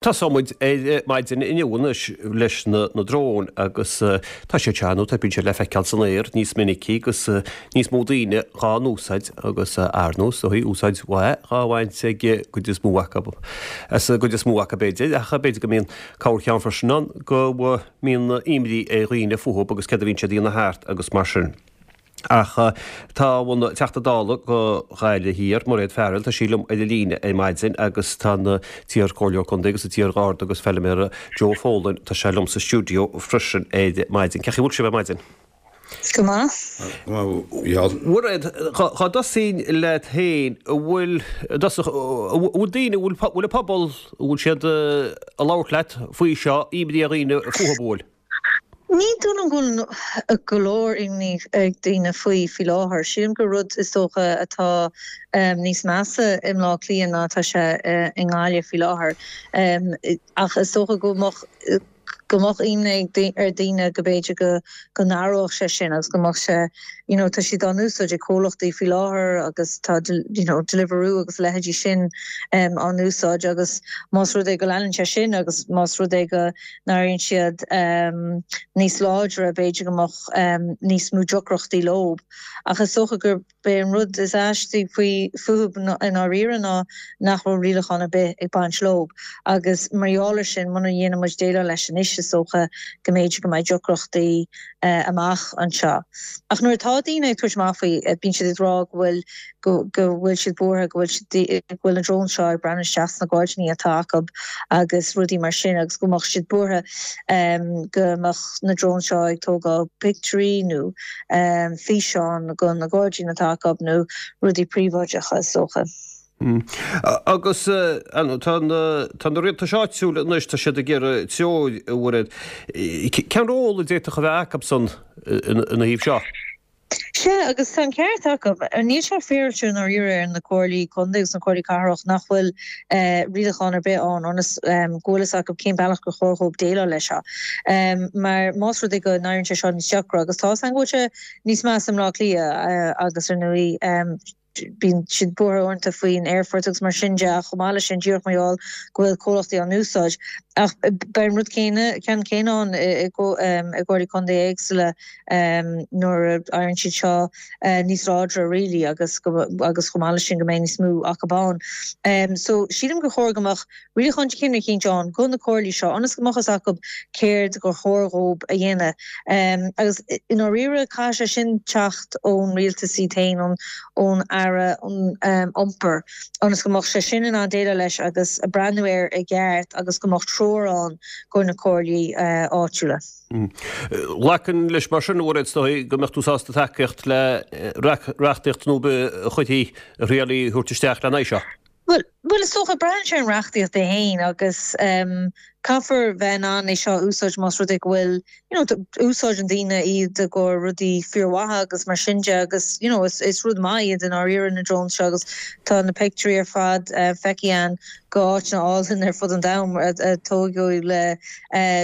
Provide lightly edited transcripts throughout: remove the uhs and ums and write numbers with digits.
Tosóidh muid ar maidin inniu anois leis na dróin agus tá siad seo nó tá bíonn siad le feiceáil san aer níos minicí agus níos mó daoine dhá n-úsáid agus ar ndóigh is dóigh úsáid mhaith dhá bhaint ag an gcuid is mó acu as an gcuid is mó acu b'fhéidir ach b'fhéidir go mbíonn corrcheann freisin ann go mbíonn imní ar dhaoine fúthu agus céard a bhíonn siad a dhéanamh thart agus mar sin. Ach tá an Teachta Dála do Ghaillimh Thiar, Mairéad Farrell, tá sí liom ar an líne ar maidin agus tá an t-iar-chomhairleoir contae agus an t-iar-gharda agus feilméara Joe Folan, tá sé liom sa stiúideo freisin ar maidin. Cén chaoi a bhfuil sibh ar maidin? Go maith. Go maith, a Mhairéad, dhá dtosóinn leat féin, an bhfuil, i dtosach, an bhfuil daoine, an bhfuil an pobal, an bhfuil siad ag labhairt leat faoi seo, imní ar dhaoine fúthu, an bhfuil? Ní dóigh liom go bhfuil go leor imní ag daoine faoi faoi láthair. Sílim gur rud is dócha atá níos measa i mBleá Cliath ná atá sé i nGaillimh faoi láthair. Ach is dócha go mbeadh go mbeadh imní ar daoine go b'fhéidir go go n-athródh sé sin agus go mbeadh sé you know tá siad á n-úsáid ag comhlachtaí faoi láthair agus tá you know Deliveroo agus a leithéidí sin á n-úsáid agus más rud é go leanann sé sin agus más rud é go n-éiríonn siad níos láidre b'fhéidir go mbeadh níos mó deacrachtaí leo. Ach is dócha gurb é an rud is aistí faoi fúthu i ndáiríre ná nach bhfuil rialachán ar bith ag baint leo agus mar gheall ar sin muna ndéanann muid déileáil leis anois is dócha go mb'fhéidir go mbeidh deacrachtaí amach anseo. Ach nuair atá daoine ag tabhairt amach faoi, bíonn siad ag rá go bhfuil, go, go bhfuil siad buartha, go bhfuil siad, go bhfuil na dróin seo ag breathnú isteach sna gairdíní atá acu agus rudaí mar sin agus go mbeadh siad buartha go mbeadh na dróin seo ag tógáil pictiúirí nó físeáin go na gairdíní atá acu nó rudaí príobháideacha is dócha. Agus tá na rialtais áitiúla anois, tá siad ag iarraidh treoir a thabhairt. Cén ról a d'fhéadfadh a bheith acusan ina thaobh seo? Sea, agus tá an ceart acu. Níl sé féaráilte i ndáiríre ar na comhairlí contae agus na comhairlí cathrach nach bhfuil rialachán ar bith ann ionas go bhfuil fhios acu cén bealach gur chóir dhóibh déileáil leis seo. Mar más rud é go n-éiríonn sé seo níos deacra, agus tá fhios againn go bhfuil sé níos measa i mBleá Cliath agus ar ndóigh, Bíonn siad buartha uaireanta faoin aerfort agus mar sin de ach chomh maith leis sin díreach mar gheall go bhfuil comhlachtaí á n-úsáid. Ach beidh an rud céanna, ceannann céanna ann i gcomhairlí contae éagsúla nuair a éiríonn siad seo níos láidre really agus agus chomh maith leis sin go mbeidh níos mó acu ann. So sílim gur chóir go mbeadh rialachán de chineál eicínt ann go na comhairlí seo ionas go mbeadh fhios acu céard gur chóir dhóib a dhéanamh. Agus i ndáiríre caithfidh sé sin teacht ón rialtas iad féin, ón Aire Iompair, ionas go mbeadh sé sin in ann déileáil leis agus breathnú air i gceart agus go mbeadh treoir ann go na comhairlí áitiúla. Glacaim leis mar sin, a Mhairéad, is dóigh go mbeadh tú sásta tacaíocht le reachtaíocht nó a chuirfidh rialacha a thabhairt isteach lena aghaidh seo? Bhuel, bhuel, is dócha, braitheann sé ar an reachtaíocht é féin agus caithfear bheith in ann é seo a úsáid más rud é go bhfuil, you know, úsáideann daoine iad i gcomhair rudaí fíormhaithe agus mar sin de agus, you know, is, is rud maith iad i ndáiríre na drones seo agus tá na pictiúirí ar fad feicthe againn go áiteanna álainn ar fud an domhain a tógadh le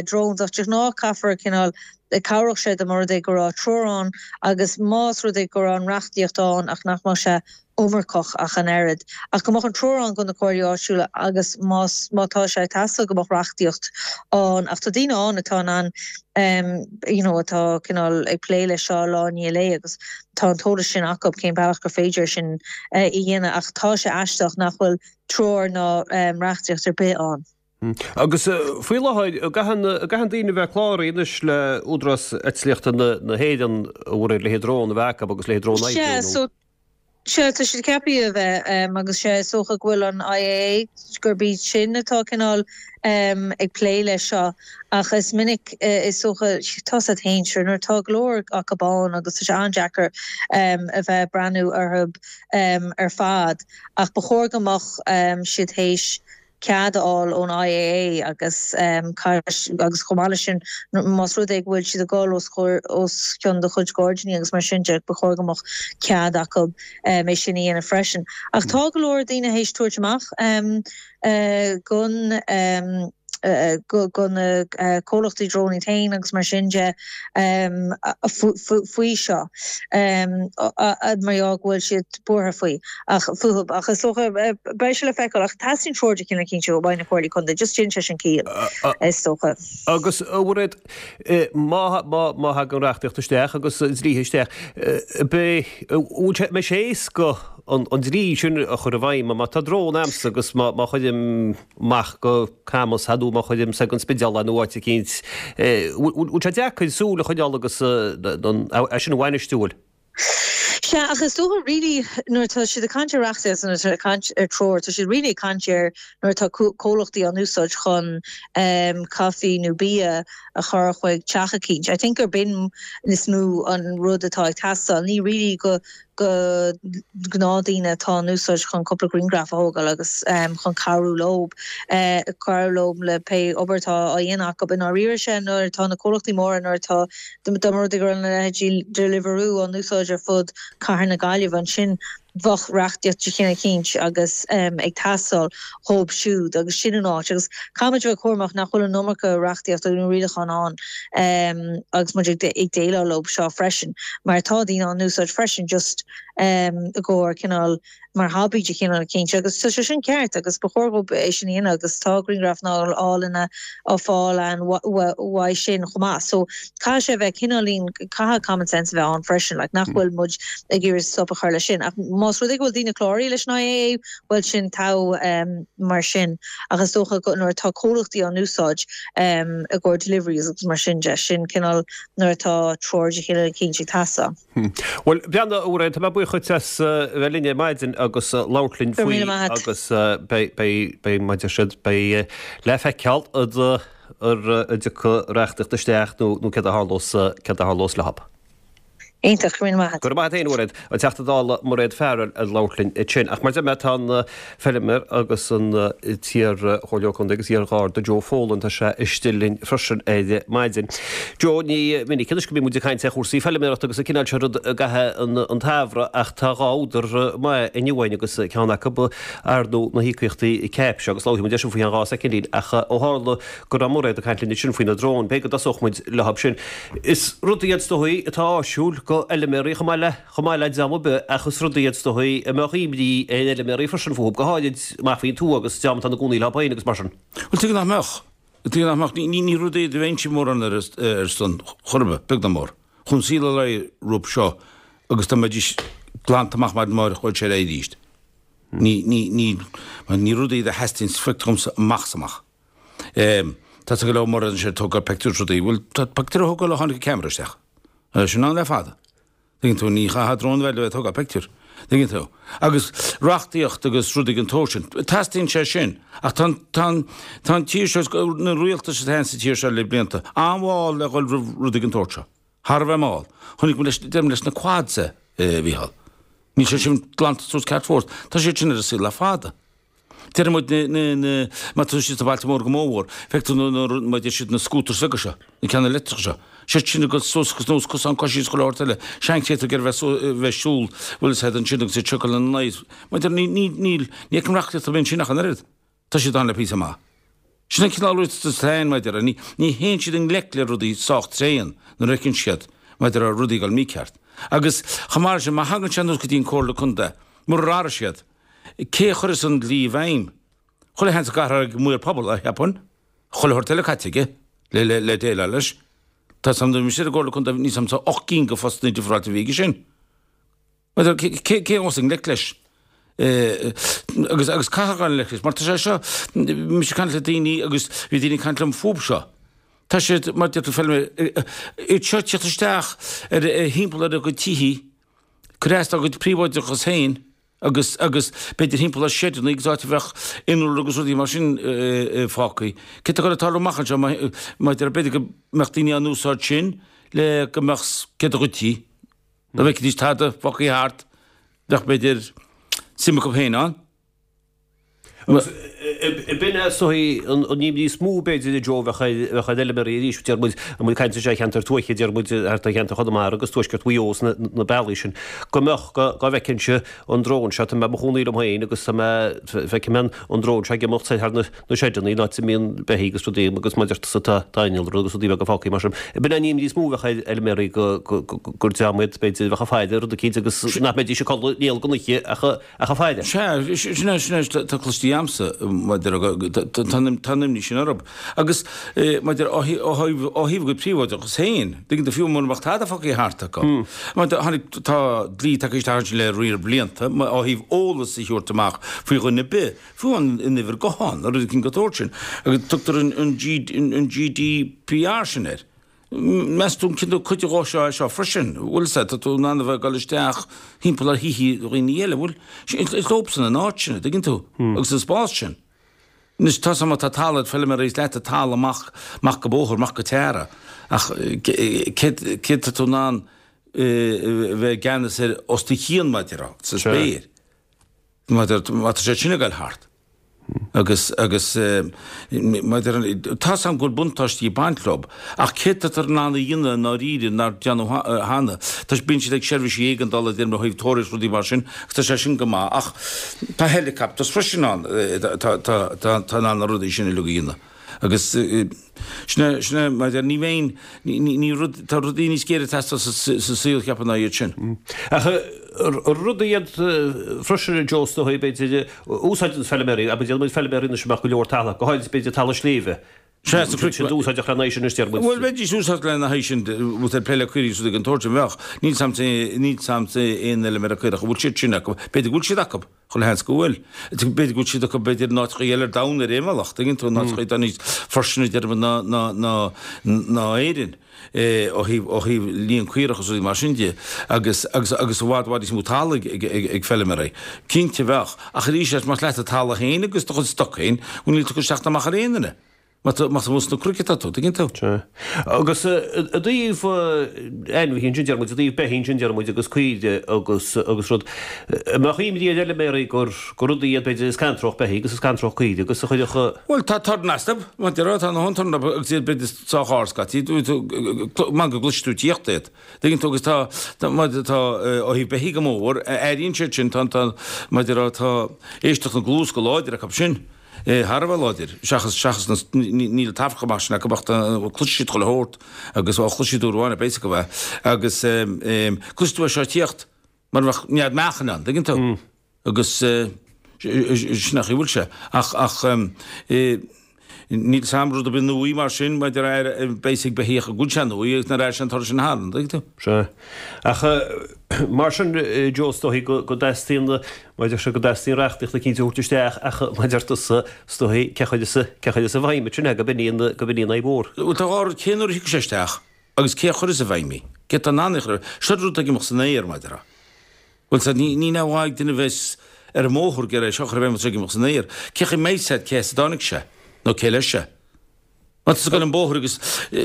drones ach de ghnáth caithfear cineál cabhródh sé dá mba rud é go raibh treoir ann agus más rud é go raibh an reachtaíocht ann ach nach mbeadh sé iomarcach ach an oiread. Ach go mbeadh an treoir ann go na comhairlí áitiúla agus más, má tá sé ag teastáil go mbeadh reachtaíocht ann. Ach tá daoine ann atá in ann you know atá cineál ag plé leis seo lá i ndiaidh lae agus tá an t-eolas sin acu cén bealach gur féidir é sin a dhéanamh ach tá sé aisteach nach bhfuil treoir ná reachtaíocht ar bith ann. Agus faoi láthair, an gcaitheann daoine a bheith cláraithe anois le Údarás Eitlíochta na hÉireann a Mhairéad le haghaidh drón a bheith acu agus le haghaidh drón a oibriú nó? Sea, so, sea, tá siad ceaptha a bheith, agus sea, is dócha go bhfuil an IAA, gurb iad sin atá cineál ag plé leis seo, ach is minic, is dócha, tá 's agat féin, sure, nuair atá go leor acu ann agus tá sé an-deacair a bheith ag breathnú orthu ar fad, ach ba chóir go mbeadh siad théis cead a fháil ón IAA agus agus chomh maith leis sin más rud é go bhfuil siad ag dul os os cionn do chuid gairdíní agus mar sin de ba chóir go mbeadh cead acu é sin a dhéanamh freisin. Ach tá go leor daoine théis tabhairt amach gon. go na comhlachtaí drón iad féin agus mar sin de faoi seo mar gheall go bhfuil siad buartha faoi ach fúthu ach is dócha beidh sé le feiceáil ach teastaíonn treoir de chineál eicínt ó na comhairlí contae just déanann sé sin ciall is dócha. Agus a Mhairéad, má má thagann reachtaíocht isteach agus dlíthe isteach, beidh mbeidh sé éasca an dlí sin a chur i bhfeidhm má tá drón a'msa agus má má chuirim amach go Camas é nó má chuirim ag an Spidéal é nó áit eicínt, bhfuil sé deacair súil a choinneáil agus é sin a bhainistiú, bhfuil? Sea, ach is dócha really nuair atá siad ag caint ar reachtaíocht nuair atá ag caint ar treoir, tá siad really ag caint ar nuair atá comhlachtaí á n-úsáid chun caife nó bia a chur chuig teach eicínt. I think gur b'in níos mó an rud atá ag teastáil, ní really go go gnáthdhaoine atá á n-úsáid chun cúpla grianghraf a thógáil agus chun cabhrú leo, cabhrú leo le pé obair atá á dhéanamh acu. I ndáiríre, sea, nuair atá na comhlachtaí móra, nuair atá, dá mba rud é go raibh na leithéidí Deliveroo á n-úsáid ar fud cathair na Gaillimhe, ansin bheadh reachtaíocht de chineál eicínt agus ag teastáil dhóibh siúd agus sin an áit agus caithfidh muid a bheith cúramach nach bhfuil an iomarca reachtaíochta nó rialachán ann agus muid ag déileáil leo seo freisin mar tá daoine á n-úsáid freisin just i gcomhair cineál mar hobby de chineál eicínt agus tá sé sin ceart agus ba chóir dhóibh é sin a dhéanamh agus tá grianghrafanna álainne á fáil ann uaidh sin chomh maith. So caithfidh sé a bheith cineáilín, caithfidh common sense a bheith ann freisin, like nach bhfuil muid ag iarraidh stop a chur leis sin. Ach más rud é go bhfuil daoine cláraithe leis an IAA, bhuel sin togha mar sin. Ach is dócha go nuair atá comhlachtaí á n-úsáid i gcomhair deliveries agus mar sin de, sin cineál nuair atá treoir de chineál eicínt ag teastáil. Bhuel, breathnaigh, a Mhairéad, tá mé buíoch dhuit as bheith linn ar maidin agus labhairt linn Go raibh míle maith agat. agus beidh, beidh, beidh, mar a deir siad, beidh le feiceáil an dtiocfaidh reachtaíocht isteach nó, nó céard a tharlós, céard a tharlós leob. Iontach, go raibh míle maith agat. Go raibh maith agat féin, a Mhairéad. An Teachta Dála Mairéad Farrell ag labhairt linn ansin. Ach mar a deir mé, tá an feilméar agus an t-iar-chomhairleoir contae agus iar-gharda Joe Folan, tá sé istigh linn freisin ar maidin. Joe, ní minic anois go mbíonn muid ag caint ar chúrsaí feilméarachta agus an cineál seo rud i gcaitheamh an tsamhraidh ach tá 2 údar maith inniu againn agus ceann acu ar ndóigh na híocaíochtaí CAP seo agus labharfaidh muid air sin faoi cheann 2 soicindín ach ó tharla go raibh Mairéad ag caint linn ansin faoi na dróin, b'fhéidir go dtosódh muid leo sin. Is rudaí iad is dóigh atá áisiúil go fheilméaraí chomh maith le chomh maith le dream ar bith ach is rudaí iad is dóigh a mbeadh imní ar fheilméaraí freisin fúthu, go háirid amach faoin tuath agus dream atá ina gcónaí leo féin agus mar sin. Bhuel, tuige nach mbeadh? Tuige nach mbeadh? Ní ní rud é a bheinnse mórán ar ar son chor ar bith, beag ná mór. Chuaigh an saol ar aghaidh rompu seo agus dá mbeidís glanta amach maidin amárach gheobhaidh sé ar aghaidh arís. Ní ní ní ní rud é a theastaíonn feictear dhomsa amach is amach. Tá tú ag labhairt mar an sé tógáil pictiúr rudaí. Bhuel, tá pictiúr a thógáil ó tháinig an ceamara isteach. Tá sin ann le fada. Tuigeann tú, ní chaithfeá drón a bheith le bheith ag tógáil pictiúr. Tuigeann tú. Agus reachtaíocht agus rudaí den tsórt sin. Teastaíonn sé sin. Ach tá an, tá an, tá an tír seo, na rialtais atá ann sa tír seo le blianta, an-mhall le dhul roimh rudaí den tsórt seo. Thar a bheith mall. Chonaic mé leis, deirim leis na quads é, a Mhícheáil. Níl sé sin glanta suas ceart fós. Tá siad sin ar an saol le fada. Deir muid na, na, na, má tá siad sa bhailte mór go mór mhór, feic tú na, na, mar a deir siad na scooters bheaga seo, na ceanna leictreacha seo. Siad sin ag dul suas agus anuas cosán coisí is chuile shórt eile. Seanchréatúr ag iarraidh bheith, bheith ag siúl, bhfuil fhios a'd ansin agus iad seo ag dul ina n-aghaidh. Mar deir, ní, ní, níl, ní fheicim reachtaíocht ar bith ansin ach an oiread. Tá siad ann le píosa maith. Sin an cineál rialtas atá ann, mar deir, ní, ní théann siad i ngleic le rudaí sách tréan nuair a fheiceann siad, mar deir, rudaí ag dul mícheart. Agus chomh maith leis sin, má thagann sé anuas go dtí an Comhairle Contae, murar athraigh siad, Cé a chuirfeas an dlí i bhfeidhm? Chuile sheans go gcaithfear ag maor pobail, a cheapfainn. Chuile shórt eile caite aige le le déileáil leis. Tá 's a'm nuair a bhí mise ar an gComhairle Contae níl 's a'msa 8 gcinn de phostanna difreáilte a bhí aige sin. Cé a ghabhfas i ngleic leis? Agus agus caithfear gabháil i ngleic leis mar tá sé seo, bhí mise ag caint le daoine agus bhí daoine ag caint liom fúb seo. Tá siad, mar deir tú feilméaraí, iad seo ag teacht isteach ar thimpeall ar a gcuid tithí, cur as dá gcuid príobháideachas féin agus, agus b'fhéidir thimpeall ar seideanna agus áit a bheadh innealra agus rudaí mar sin fágtha. Céard atá ag dul a tarlú amach anseo mar deir b'fhéidir go mbeadh daoine á n-úsáid sin le go mbeadh cead a gcuid tí, dá bhfeicfidís tada fágtha thart, bheadh b'fhéidir suim acu féin ann. Agus. B'in é is dóigh an imní is mó b'fhéidir a Joe a bheadh ar fheilméaraí arís, deir muid, muid ag caint anseo ar cheantar tuaithe, deir muid thart ar cheantar Chonamara agus tuaisceart Mhaigh Eo sna na bealaí sin, go mbeadh, go go bhfeicinnse an drón seo, tá mé i mo chónaí liom féin agus tá mé, feicim an an drón seo ag imeacht soir thar na na seideanna, an áit a mbíonn beithígh agus rudaí agus mar a deir tusa tá tá innealra agus rudaí beaga fágtha mar sin. B'in é an imní is mó a bheadh ar fheilméaraí go go gur dream iad b'fhéidir a bheadh ag faire rud eicínt agus nach mbeidís ag codladh néal don oíche ach Ach ag faire. Sea, sin é, sin é, tá cloiste a'msa, maidir le, tá an imní sin orthu. Agus maidir, ó thaobh, ó thaobh a gcuid príobháideachas féin, tuigeann tú, fiú mura mbeadh tada fágtha thart acu. Mar tháinig, tá dlí tagtha isteach ansin le riar blianta, ó thaobh eolas a thabhairt amach faoi dhuine ar bith, fiú an uimhir gutháin, nó rud éicint den tsórt sin. Agus tugtar an GDPR sin air. Meas tú an cineál cuid dhó seo é seo freisin? Bhfuil 's a'd, tá tú in ann a bheith ag dul isteach thimpeall ar thithe dhaoine eile, bhfuil? Is leobsan an áit sin, an dtuigeann tú? Agus an spás sin. Anois, tá 's a'm má tá talamh ag feilméaraí is leat an talamh amach, amach go bóthar, amach go teara. Ach céard, céard tá tú in ann a bheith i gceannas air os do chionn, mar a déarfá, sa spéir? Má tá sé sin ag dul thart. Agus, agus, maidir, tá 's a'm go bhfuil buntáistí ag baint leo, ach céard atáthar in ann a dhéanamh i ndáiríre nár déanadh cheana? Tá, bíonn siad ag seirbhísí éigeandála, déarfainn, ó thaobh tóraíocht rudaí mar sin, agus tá sé sin go maith, ach tá helicopters freisin ann, tá, tá, tá, tá in ann na rudaí sin uilig a dhéanamh. Agus sin é, sin é, mar a deir, ní bheinn, ní, ní rud, tá rudaí níos géire ag teastáil sa, sa saol, cheapfainn, ná iad sin. Ach rud iad freisin, a Joe, is dóigh, b'fhéidir, úsáideann feilméaraí, abair, déanann muid feilméaraí anois a mbeadh go leor talamh, go háirid, b'fhéidir, talamh sléibhe. Sea, sa chnoic. Siad úsáideach lena aghaidh sin anois, deir muid. Bhuel, bheidís úsáideach lena aghaidh sin, bhfuil tú ag plé le caoirigh is rudaí den tsórt sin, bheadh. Níl 's a'msa, níl 's a'msa aon fheilméara caorach a bhfuil siad sin acu. B'fhéidir go bhfuil siad acu. Chuile sheans go bhfuil. B'fhéidir go bhfuil siad acu, b'fhéidir, in áiteacha eile ar domhan ar aon bhealach, tuigeann tú, in áiteacha atá níos forsinne, déarfainn, ná, ná, ná, ná Éirinn, ó thaobh, ó thaobh líon caorach is rudaí mar sin de, agus, agus, agus i bhfad, i bhfad níos mó talaimh ag, ag, ag feilméaraí. Cinnte, bheadh. Ach arís, más leat an talamh féin agus do chuid stoc féin, bhuel, níl tú ag cur isteach ná amach ar aon duine. Má tá amuigh sna cnoic atá tú, tuigeann tú. Sea. Agus i dtaobh ainmhithe ansin, deir muid, i dtaobh beithígh ansin, deir muid, agus caoire agus agus rud. An mbeadh imní ar fheilméaraí gur gur rudaí iad, b'fhéidir, a scanródh beithígh agus a scanródh caoire agus a chuirfeadh. Bhuel, tá torann astu, mar a déarfá, tá a ndóthain torann acu agus iad b'fhéidir sách ard scaití, mar go gcloisfidh tú ag tíocht iad. Tuigeann tú, agus tá, mar tá, ó thaobh beithígh go mór, airíonn siad sin, tá, tá, mar a déarfá, tá éisteacht na gcluas go láidir acu sin. thar a bheith láidir, seachas, seachas na, níl an t-amharc chomh maith sin acu ach tá, cloisfidh siad chuile shórt agus, ó chloisfidh siad uair amháin é, beidh a fhios acu é agus cloisfidh tú é seo ag tíocht mar a bheadh nead meáchain ann, tuigeann tú? Agus sin é an chaoi a bhfuil sé. Ach, ach níl 'fhios a'm rud ar bith nua mar sin maidir le beidh ag beithíoch go bhfuil sé nua agus nuair a sé an toradh sin thar, an dtuigeann tú? Sea. Ach mar sin, Joe, is dóigh go dteastaíonn, mar a deir sé, go dteastaíonn reachtaíocht eicínt a thabhairt isteach ach mar a deir tusa, is dóigh, cé a chuirfeas, cé a chuirfeas i bhfeidhm ansin é, go b'in í an, go b'in í an fhadhb mhór. Bhuel, tá dhá rud, cén uair a thiocfaidh sé isteach agus cé a chuirfeas i bhfeidhm í? Cé atá in ann í a chur i bhfeidhm? Seo rud ag imeacht san aer, mar a déarfá. Bhuel, sea, ní, ní neamh-mhaith ag duine a bheas ar an mbóthar ag iarraidh é seo a chur i bhfeidhm, tá sé ag imeacht san aer. Cé chaoi a mbeidh 'fhios a'd cé as a dtáinig sé nó cé leis é? Má tá tú ag goil an bóthar agus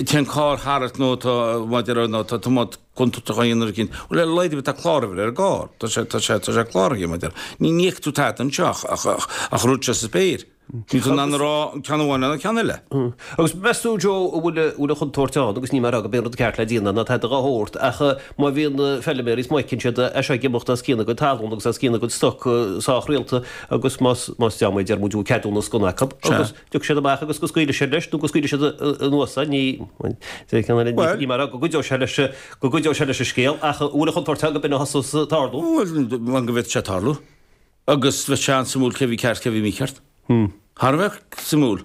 téann carr tharat nó tá, mar a déarfá, nó tá tiomáint contúirteach á dhéanamh éicint, bhuel, ar a laghad tá cláruimhir ar an gcarr, tá sé, tá sé, tá sé cláraithe, mar a déarfá. Ní, ní fheicfidh tú tada anseo ach, ach, ach, ach an rud seo sa spéir. Níl tú in ann a rá an ceann amháin ná an ceann eile. Agus meas tú, Joe, an bhfuil, an bhfuil an chontúirt ann, agus níl mé ag rá gurb é an rud ceart le déanamh ná tada dá shórt, ach má bhíonn na feilméaraí is má fheiceann siad é seo ag imeacht os cionn a gcuid talún agus os cionn a gcuid stoc sách rialta agus más, más dream é deir muid a bhfuil ceadúnas gunna acu agus, Tiocfaidh siad amach agus go scaoilfidh siad leis nó go scaoilfidh siad anuas é, ní ní mar go gcuideoidh sé leis go gcuideoidh sé leis an scéal ach an bhfuil an chontúirt ann go b'in a thosós ag tarlú? Bhuel, man go bhféadfadh sé tarlú. Agus bheadh sé an-suimiúil cé bhí ceart cé bhí mícheart. Thar a bheadh suimiúil.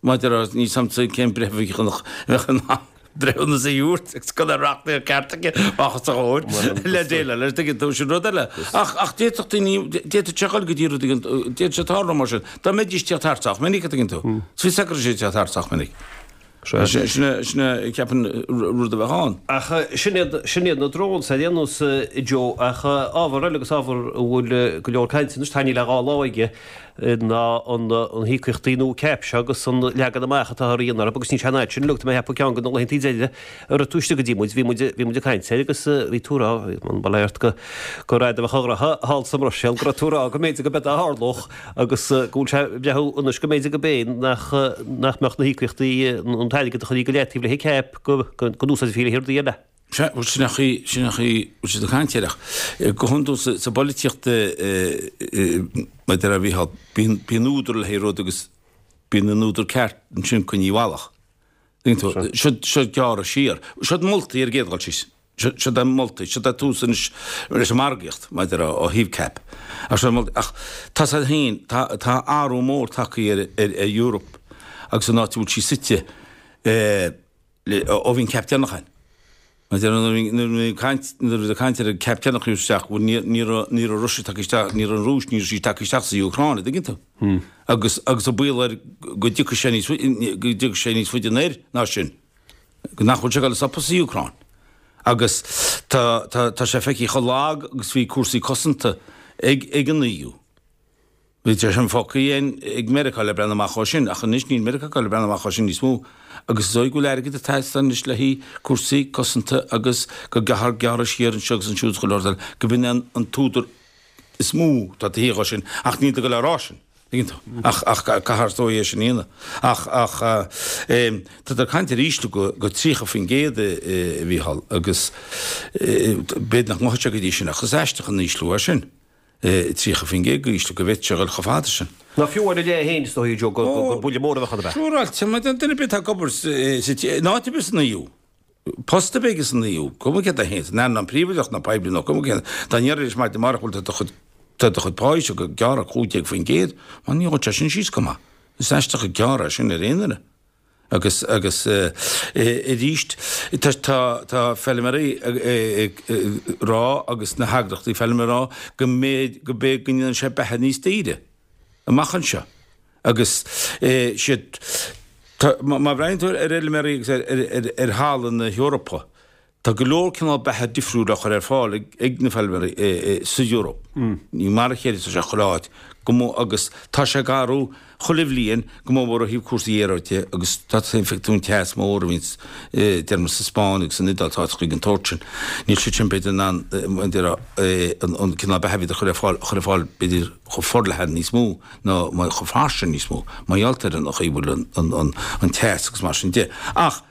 Maidir le níl 's a'msa cén breitheamh a bheadh in ann breithiúnas a thabhairt agus go raibh reachtaíocht ceart aici amach os a chomhair le déileáil leis, tuigeann tú, sin rud eile. Ach, ach d'fhéadfadh daoine, d'fhéadfadh sé dhul go dtí rud éigin, d'fhéadfadh sé tarlú mar sin. Dá mbeidís ag tíocht thart sách minic, tuigeann tú. Is fios go raibh siad ag tíocht thart sách minic. Sin é, ceapaim, rud a bheadh ann. Ach sin iad, sin iad na drones ar aon nós, a Joe. Ach ábhar eile agus ábhar a bhfuil go leor cainte anois, tarraingthe le 2 lá aige, ná an na híocaíochtaí nua CAP seo agus an leagan amach atá ar a agus níl sé an fhad sin, tá mé ag ceapadh ceann de na laethanta deiridh a raibh tú istigh go dtí muid, bhí muid, bhí muid ag caint air agus bhí tú ag rá, an bail ort go, gur fhada a bheadh a ghraithe thall sa mBruiséil, go raibh tú ag rá go mb'fhéidir go b'éard a tharlódh agus go bhfuil sé ag breathnú anois go mb'fhéidir go b'é nach, nach mbeadh na híocaíochtaí, an t-airgead a chuirfí go leataobh le haghaidh CAP go, go n-úsáidfí le haghaidh rudaí eile. Sea, bhuel sin an chaoi, sin an chaoi a bhfuil siad ag caint air ach go hiondúil sa, sa bpolaitíocht maidir le Mhícheál, bíonn, bíonn údar le haghaidh rud agus bíonn an údar ceart ansin coinnithe i bhfalach. Siod, siod gearradh siar. Siod moltaí ar an gcéad dhul síos. Siod é moltaí. Siod é tús anois leis an margaíocht maidir ó thaobh CAP. Ach siod moltaí. Ach tá siad féin, tá, tá athrú mór tagtha ar, ar, ar Europe agus an áit a bhfuil sí suite le, ó bhí an CAP deireanach ann. Nuair a bhí, nuair a bhí caint, nuair a bhí caint ar an CAP deireanach a thabhairt isteach, bhuel ní, ní raibh, ní raibh Russia tagtha isteach, ní raibh an Rúis, ní raibh sí tagtha isteach sa Úcráin, an dtuigeann tú? Agus, agus an baol air go dtiocfaidh sé níos, go dtiocfaidh sé níos faide anoir ná sin, go nach bhfuil sé ag dul a stopadh sa Úcráin. Agus tá, tá, tá sé feicthe chomh lag agus bhí cúrsaí cosanta ag, ag an EU. Bhí sé sin fágtha ag Meiriceá le breathnú amach dhó sin, ach anois níl Meiriceá ag dul le breathnú amach dhó sin níos mó agus is dóigh go bhfuil airgead ag teastáil anois le haghaidh cúrsaí cosanta agus go gcaithfear gearradh siar anseo agus ansiúd is chuile shórt eile, go b'in é an t-údar is mó atá taobh thiar dhó sin ach níl ag dul a rá sin, tuigeann tú, ach ach caithfear is dóigh é sin a dhéanamh. Ach ach táthar ag caint ar ísliú go go 30% a Mhícheál agus b'fhéidir nach ngabhfaidh sé go dtí sin ach is aisteach an ísliú é sin. 30% d'ísliú go bhféadfadh sé a dhul chomh fada sin. Ná fiú ar a leith féin, is dóigh, Joe, gur buille mór a bheadh ann, ab ea? Siúráilte, má tá duine ar bith atá ag obair in áit ar bith san EU, post ar bith san EU, cuma céard é féin, san earnáil príobháideach nó poiblí nó cuma céard, dá ndéarfaidís maidin amárach bhuel tá do chuid tá do chuid páí seo gearrtha 15%, má ní ghabhfaidh sé sin síos go maith. Is aisteach an gearradh é sin ar aon duine. Agus, agus arís, tá, tá, tá feilméaraí ag rá agus na heagraíochtaí feilméaraí ag rá go mbeidh, go mbeidh, go ndéanfaidh sé beatha níos daoire amach anseo. Agus siad, tá, má bhreathnaíonn tú ar fheilméaraí agus ar, ar, ar thalamh na hEorpa, Tá go leor cineál beatha difriúil á chur ar fáil ag na feilméaraí sa Eoraip. Ní mar a chéile atá sé chuile áit, go mó agus tá sé ag athrú chuile bhliain go mór mór ó thaobh cúrsaí aeráide agus tá tú féin feicfidh tú an teas mór a bhíonns déarfaidh muid sa Spáinn agus san Iodáil tá áiteacha den tsórt sin. Níl siad sin b'fhéidir in ann an cineál beatha a bhíodar a chur ar fáil a chur ar fáil b'fhéidir chomh forleathan níos mó nó chomh fairsing níos mó mar gheall ar an chaoi a bhfuil an teas agus mar sin de. Ach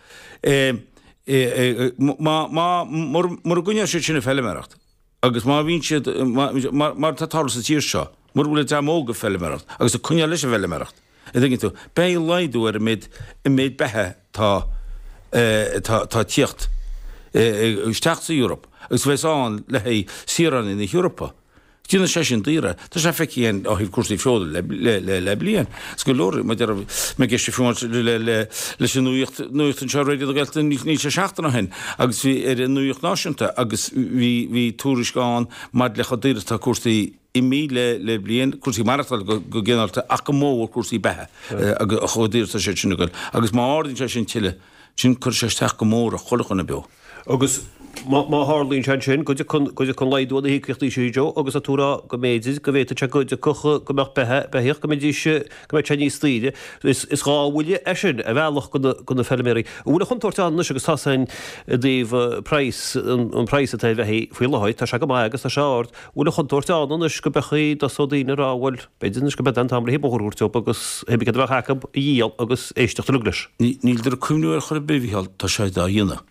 Má, má, mura gcoinneoidh siad sin ag feilméaracht, agus má bhíonn siad, mar atá ag tarlú sa tír seo, mura bhfuil an dream óg ag feilméaracht agus ag coinneáil leis an bhfeilméaracht, an dtuigeann tú, beidh laghdú ar an méid, an méid beatha atá, atá, atá ag tíocht isteach sa Eoraip agus a bheas ann le haghaidh saoránaigh na hEorpa. Déanann sé sin daor é. Tá sé feicthe againn ó thaobh cúrsaí feola le bliain. Is go leor, mar a deir mé ag éisteacht fiú leis an nuaíocht, nuaíocht anseo ar Raidió na Gaeltachta níl sé seachtain ó shin agus bhí ar an nuaíocht náisiúnta agus bhí bhí tuairisc ann maidir le chomh daor is atá cúrsaí imithe le le bliain, cúrsaí maireachtála go go ginearálta ach go mór cúrsaí beatha agus chomh daor is atá siad sin ag dul. Agus má ardaíonn sé sin tuilleadh, sin cuirfidh sé isteach go mór ar chuile dhuine beo. Agus má tharlaíonn sé ansin, go dtiocfaidh an laghdú ar na híocaíochtaí seo, Joe, agus tá tú ag rá go mb'fhéidir go bhféadfadh sé go dtiocfadh, go mbeadh beatha, beithíoch, go mbeidís, go mbeadh sé níos daoire. Is is dá bhuille é sin ar bhealach do na, do na feilméaraí. An bhfuil an chontúirt ann anois agus tá san i dtaobh praghas, an praghas atá ar bheithígh faoi láthair, tá sé go maith agus tá sé ard, an bhfuil an chontúirt ann anois go mbeadh, dtosódh daoine ag rá, bhuel, b'fhéidir anois go mbeidh an t-am le bó a thabhairt dóibh agus pé céard a bheadh acu a dhíol agus éisteacht uilig leis. Níl ag cuimhniú ar chor ar bith, a Mhícheál, tá sé dá dhéanamh,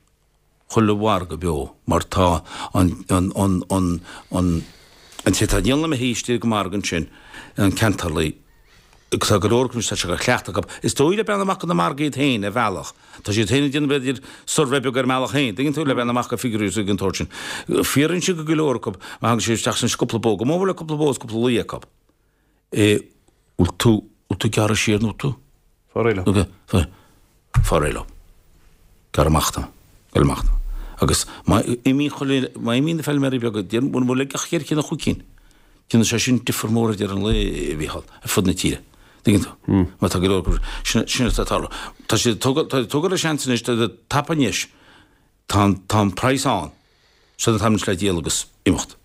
chuile mhargadh beo, mar tá an, an, an, an, an, an té atá ag díol na mbeithígh istigh ag an margadh ansin, an ceantálaí, agus tá go leor acu anois, tá sé de chleachtadh acu, is dóigh le breathnú amach do na margaí iad féin ar bhealach, tá siad féin ag déanamh b'fhéidir suirbhé beag ar an mbealach féin, tuigeann tú, le breathnú amach do figiúirí den tsórt sin. Fiafraíonn siad de go leor acu, má thagann siad isteach sin cúpla bó, go mór mór le cúpla bó is cúpla lao acu. Bhfuil tú, bhfuil tú ag gearradh siar nó tú? Fáil réidh leo. Fáil réidh leo. Gearr amach dom. Gearr amach dom. Agus má imíonn chuile, má imíonn na feilméaraí beaga, déarfainn, mura bhfuil ach cheithre cinn nó chúig cinn, déanann sé sin difear mór ar deireadh an lae, a Mhícheál, ar fud na tíre. Tuigeann tú? Mar tá go leor acu, sin, sin atá ag tarlú. Tá siad ag tógáil, tá ag tógáil a seans anois, tá siad tapa anois, tá an, tá an praghas ann, so tá anois le díol agus imeacht.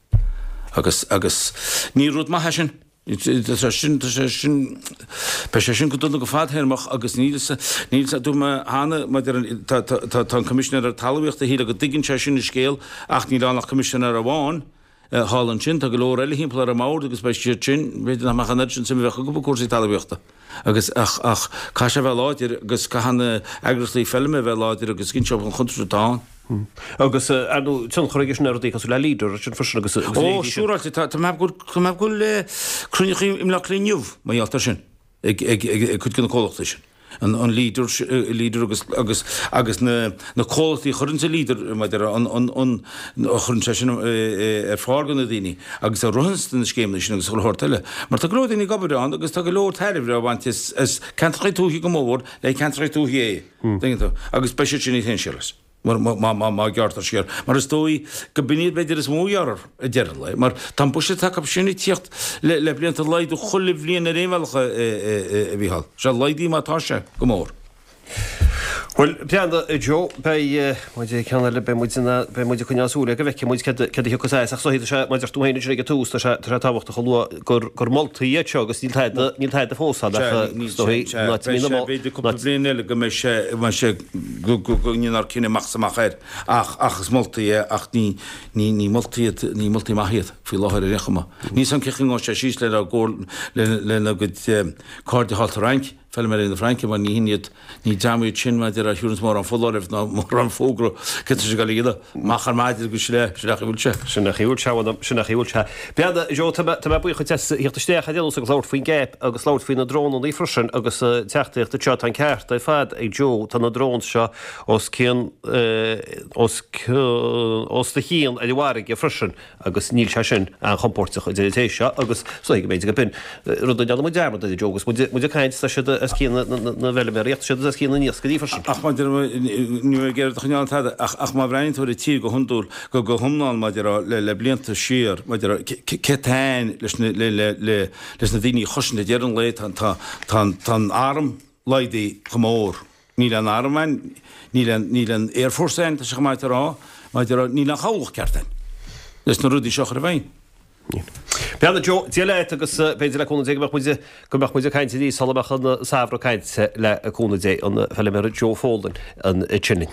Agus, agus ní rud maith é sin. Tá sé sin, tá sé sin, beidh sé sin go dona go fadthéarmach agus níl sa, níl sa, dúirt mé cheana maidir an, tá, tá, tá, tá an Coimisinéir Talmhaíochta shílfeá go dtuigeann sé sin an scéal ach níl ann ach Coimisinéir amháin thall ansin, tá go leor eile thimpeall ar an mbord agus beidh siad sin, b'fhéidir nach mbeadh an oiread sin suim a bheadh acu i gcúrsaí talmhaíochta. Agus, ach, ach, caithfidh sé a bheith láidir agus caithfidh na eagraíochtaí feilme a bheith láidir agus cinnte an chontúirt atá ann. Agus, ar ndóigh, tionchar aige sin ar rudaí cosúil le Leader ansin freisin agus, agus Ó, leithéidí sin. siúráilte, tá, tá mé ag ceapadh go bhfuil, tá mé ag ceapadh go bhfuil cruinniú i mBleá Cliath inniu mar gheall air sin ag, ag, ag, ag cuid de na comhlachtaí sin. An, an Leader, Leader agus, agus, agus na, na comhlachtaí a chuireann sa Leader, maidir an, an, an, a chuireann sé sin ar fáil do na daoine agus a ritheanns na scéimeanna sin agus chuile shórt eile. Mar tá go leor daoine ag obair ann agus tá go leor tairbhe á bhaint as, as ceantracha tuaithe go mórmhór le ceantracha tuaithe é. Tuigeann tú? Agus beidh siad sin iad féin siar leis. Má ghearrtar siar. Mar is dóigh go b'in iad b'fhéidir is mó a ghearrfar ag deireadh an lae. Mar tá an buiséad acu sin ag tíocht le blianta ag laghdú chuile bhliain ar aon bhealach a Mhícheáil. Sé laghdaithe mar atá sé, go mór. Bhuel, breathnaigh, a Joe, beidh muid ag ceann eile, beidh muid ina, beidh muid ag coinneáil súil air go bhfeicfidh muid céard a, céard a thiocfas as. Ach is dóigh, tá sé, mar a deir tú féin ansin ag an tús, tá sé, tá sé tábhachtach a lua gur, gur moltaí iad seo agus níl tada, níl tada fós ann ach is dóigh, ná Beidh sé, b'fhéidir cúpla bliain eile go mbeidh sé, go mbeidh sé, go, go, go ndéanfar cinneadh amach is amach air. Ach, ach is moltaí é, ach ní, ní, ní moltaí iad, ní moltaí maithe iad faoi láthair ar aon chuma. Níl 's a'm cén chaoi a ngabhfaidh sé síos lena gcomhair, lena, lena gcuid cairde thall sa Fhrainc. Feilméaraí na Fraince, mar ní hin iad, ní dream iad sin maidir a thiúrans mórán foláirimh ná mórán fógra cé tá sé ag dul a dhéanamh. Amach ar maidin agus sin é, sin é a bhfuil sé. Sin é a bhfuil sé, a mh'anam, sin é a bhfuil sé. Breathnaigh, a Joe, tá mé, tá mé buíoch duit as theacht isteach ar aon nós agus labhairt faoin gCAP agus labhairt faoi na drónannaí freisin agus teachtaireacht anseo, tá an ceart ar fad ag Joe, tá na drones seo os cionn, os cionn, os do chionn ar an bhfarraige freisin. Agus níl sé sin an-chompóirteach, a deir an té seo, agus is dóigh go mb'fhéidir go b'in rud a ndearna muid dearmad air, a Joe, agus muid ag caint, tá siad os cionn na bhfeilméaraí ach tá siad os cionn na n-iascairí freisin. Ach maidir, ní bheidh ag iarraidh do choinneáil tada, ach má bhreathnaíonn tú ar an tír go hiondúil, go hiomlán maidir le blianta siar, maidir cé atá ann leis na daoine a chosaint ag deireadh an lae, tá an arm laghdaithe chomh mór. Níl aon arm ann, níl aon, níl aon aerfhórsa ann, tá sé chomh maith a rá, maidir le, níl aon chabhlach ceart ann leis na rudaí seo a chur i bhfeidhm. Breathnaigh Joe, Dia leat agus b'fhéidir le cúnamh Dé go mbeadh muid, go mbeadh muid ag caint arís sula mbeadh an samhradh caite le cúnamh Dé, an feilméara Joe Folan ansin.